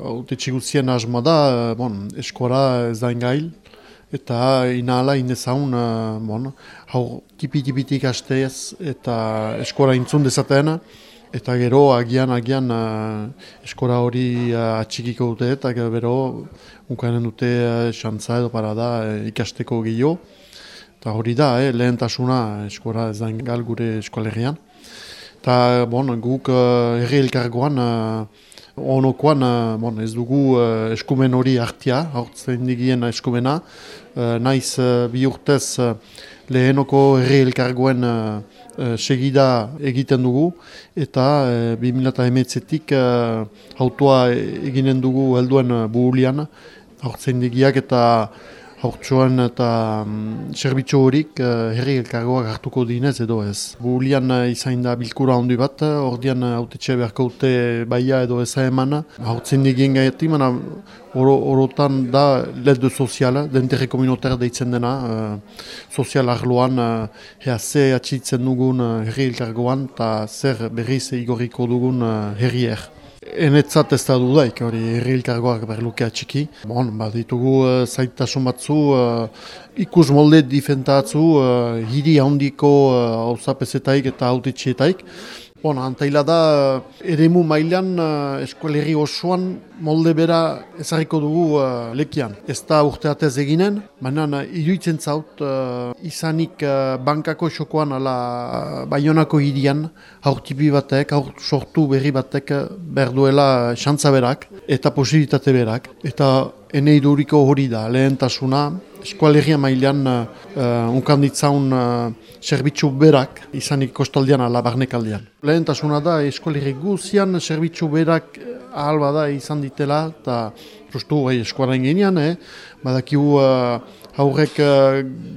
autetxe guztien asmoa da, eskora ez da ingail, eta inahala indezaun, hau tipi-tipitik hastez eta eskora intzun dezaten, eta gero agian eskora hori atxikiko dute, eta gero unkanen dute xantza edo parada ikasteko gehiago. Eta hori da, lehentasuna eskora ez da ingal gure eskoalegian. Eta guk herri elkargoan, onokoan ez dugu eskumen hori hartia, hartzen digien eskumena, naiz bi urtez lehenoko herri elkargoen segida egiten dugu, eta 2008-etik autoa eginen dugu helduen buhulian, hartzen digiak eta haurtsuan eta zerbitzu horik herri elkargoak hartuko dinez edo ez. Buhulian izain da bilkura handi bat, ordean autetxe beharko dute baia edo eza eman. Haurtzen digien gaieti, orotan da led soziala, denterre komunitar deitzen dena, sozial arloan ze atxitzen dugun herri elkargoan eta zer berriz igorriko dugun herrier. Enetzat ez da dudaik, hori herri elkargoak berluke atxiki. Ditugu zaitasun batzu, ikus molde difentatzu, hiri handiko hauzapezetaik eta hautetxietaik. Antaila da, eremu mailan eskoleri osoan molde bera ezarriko dugu lekian. Ez da urteatez eginen, baina iruditzen zaut izanik bankako xokoan ala Baionako hirian haurtipi batek, haur sortu berri batek behar duela xantza berak eta posibilitate berak. Eta enei duriko hori da, lehentasuna, eskoalegia mailan unkanditzaun zerbitzu berak izanik kostaldean ala barnekaldean. Lehentasuna da eskoalegi guzian zerbitzu berak ahal bada izan ditela eta justu eskuaren genean, badakigu haurrek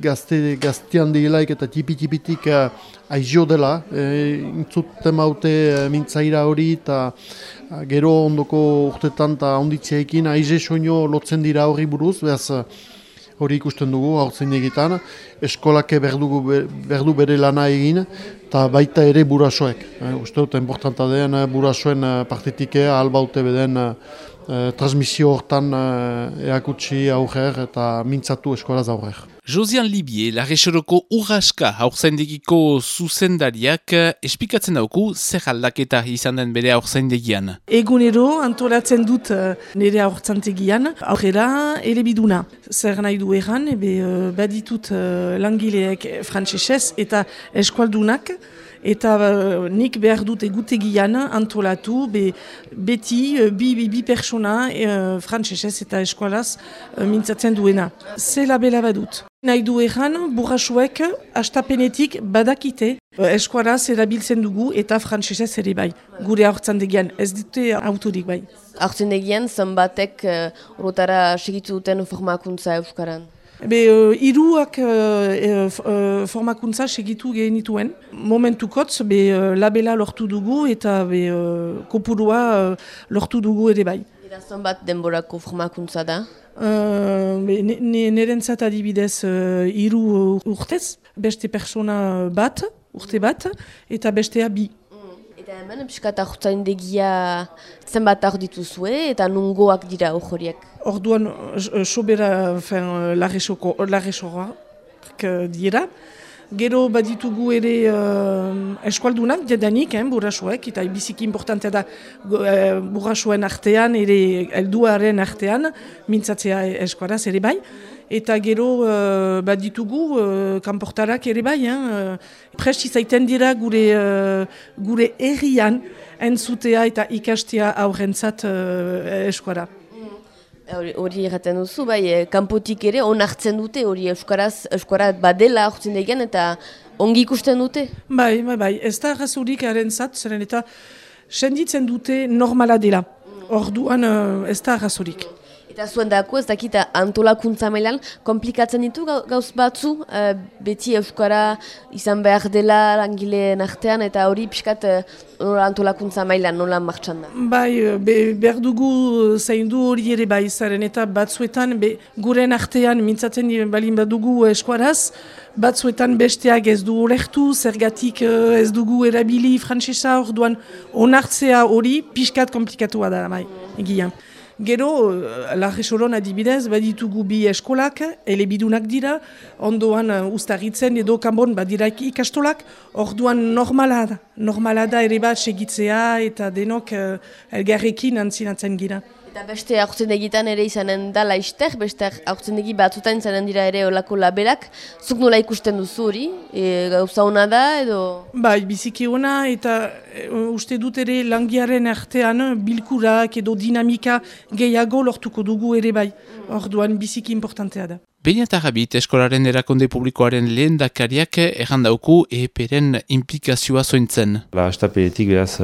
gaztean dielaik eta tipi-tipitik aizio dela, intzuten maute mintzaira hori eta gero ondoko urtetan eta onditzeekin aize soino lotzen dira hori buruz, behaz hori ikusten dugu haurtzen egitan, eskolake berdu bere lana egin, eta baita ere burasoek. Uste dut, importanta den burasoen partetik albaute beden transmisio hortan eakutsi aurrer eta mintzatu eskolaz aurrer. Josian Libier, Larresoroko Urraska haurzaindegiko zuzendariak espikatzen dauku zer aldaketa izan den bere haurzaindegian. Egunero antolatzen dut nire haurzaindegian aurrera ere biduna. Zer nahi du erran, baditut langileek frantsesez eta eskualdunak, eta nik behar dut egutegian antolatu beti bi persona frantsesez eta eskualaz mintzatzen duena. Zela bela badut. Nahi du erran, burrasuek astapenetik badakite eskualaz erabiltzen dugu eta frantsesez ere bai. Gure haurtzandegian ez dute autorik bai. Haurtzandegian zenbatek orotara segitu duten formakuntza euskaran? Hiruak formakuntza segitu genituen. Momentukotz labela lortu dugu eta kopurua lortu dugu ere bai. Eta zenbat denborako formakuntza da? Nerentzat adibidez 3 urtez, beste persona urte bat, eta bestea 2. Eta hemen, piskat haurtzaindegia zenbat hor dituzue eta nungoak dira horiek? Orduan, sobera larresorak dira. Gero baditugu ere eskualdunak jadanik, burrasuek, eta biziki importantea da burrasuen artean, ere helduaren artean, mintzatzea eskualaz ere bai. Eta gero baditugu kanportarak ere bai, prest izaiten dira gure herrian entzutea eta ikastea aurrentzat eskuala. Hori erraten duzu, kanpotik ere onartzen dute, hori euskara badela hartzen degen eta ongi ikusten dute? Bai, ez da razurik harentzat, zeren eta senditzen dute normala dela. Orduan ez da razurik. Eta zuen dako ez dakita antolakuntza mailan komplikatzen ditu gauz batzu, beti euskara izan behar dela langileen artean eta hori pixkat antolakuntza mailan nola martxan da. Bai, behar dugu zaindu hori ere bai zaren eta batzuetan guren artean mintzatzen balin badugu eskuaraz, batzuetan besteak ez du ulertu, zergatik ez dugu erabili frantsesa, orduan onartzea hori pixkat komplikatua da bai, egian. Gero, Larresoron adibidez, baditugu bi eskolak, elebidunak dira, ondoan ustaritzen edo kanbon badira ikastolak, orduan normala da ere bat segitzea eta denok elgarrekin antzinatzen gira. Eta beste aurtzendegitan ere izanen da laizter, beste aurtzendegi batzutan izanen dira ere olako laberak. Zuk nola ikusten duzu hori? Gauza hona da edo? Bai, biziki hona eta uste dut ere langiaren artean bilkurak edo dinamika gehiago lortuko dugu ere bai. Orduan biziki importantea da. Beinatarrabit eskolaren erakunde publikoaren lehendakariak errandauku EPren implikazioa zointzen. Estaperetik beraz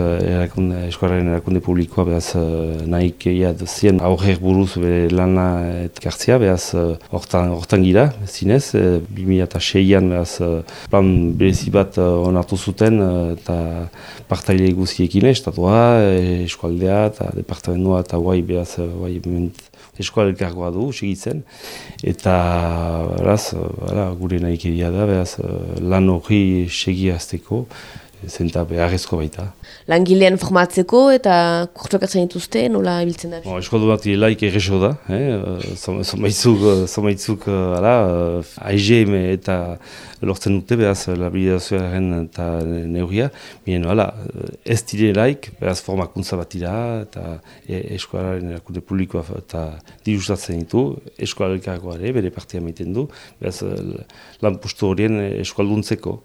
eskolaren erakunde publikoa beraz nahik zien aurrer buruz bere lana etkartzea, beraz hortan gira, zinez, 2006an beraz plan berezi bat onartu zuten eta partaile guztiekin, estatua, eskualdea eta departamentua eta guai beraz eskual elkargoa du, segitzen, eta beraz, gure nahikeria da, beraz, lan hori segiazteko, zenta beharrezko baita. Langilean formatzeko eta kurtsokatzen dituzte, nola ibiltzen da? Eskoldu bat laik erreso da, somaitzuk AIGM eta lortzen dute, beraz, labilidazioaren eta neuria, ez dire laik, beraz, formakuntza bat dira, eta eskolaren erakunde publikoa eta dirustatzen ditu, eskola elkargoa ere, bere partia maiten du, beraz, lan postu horien eskalduntzeko.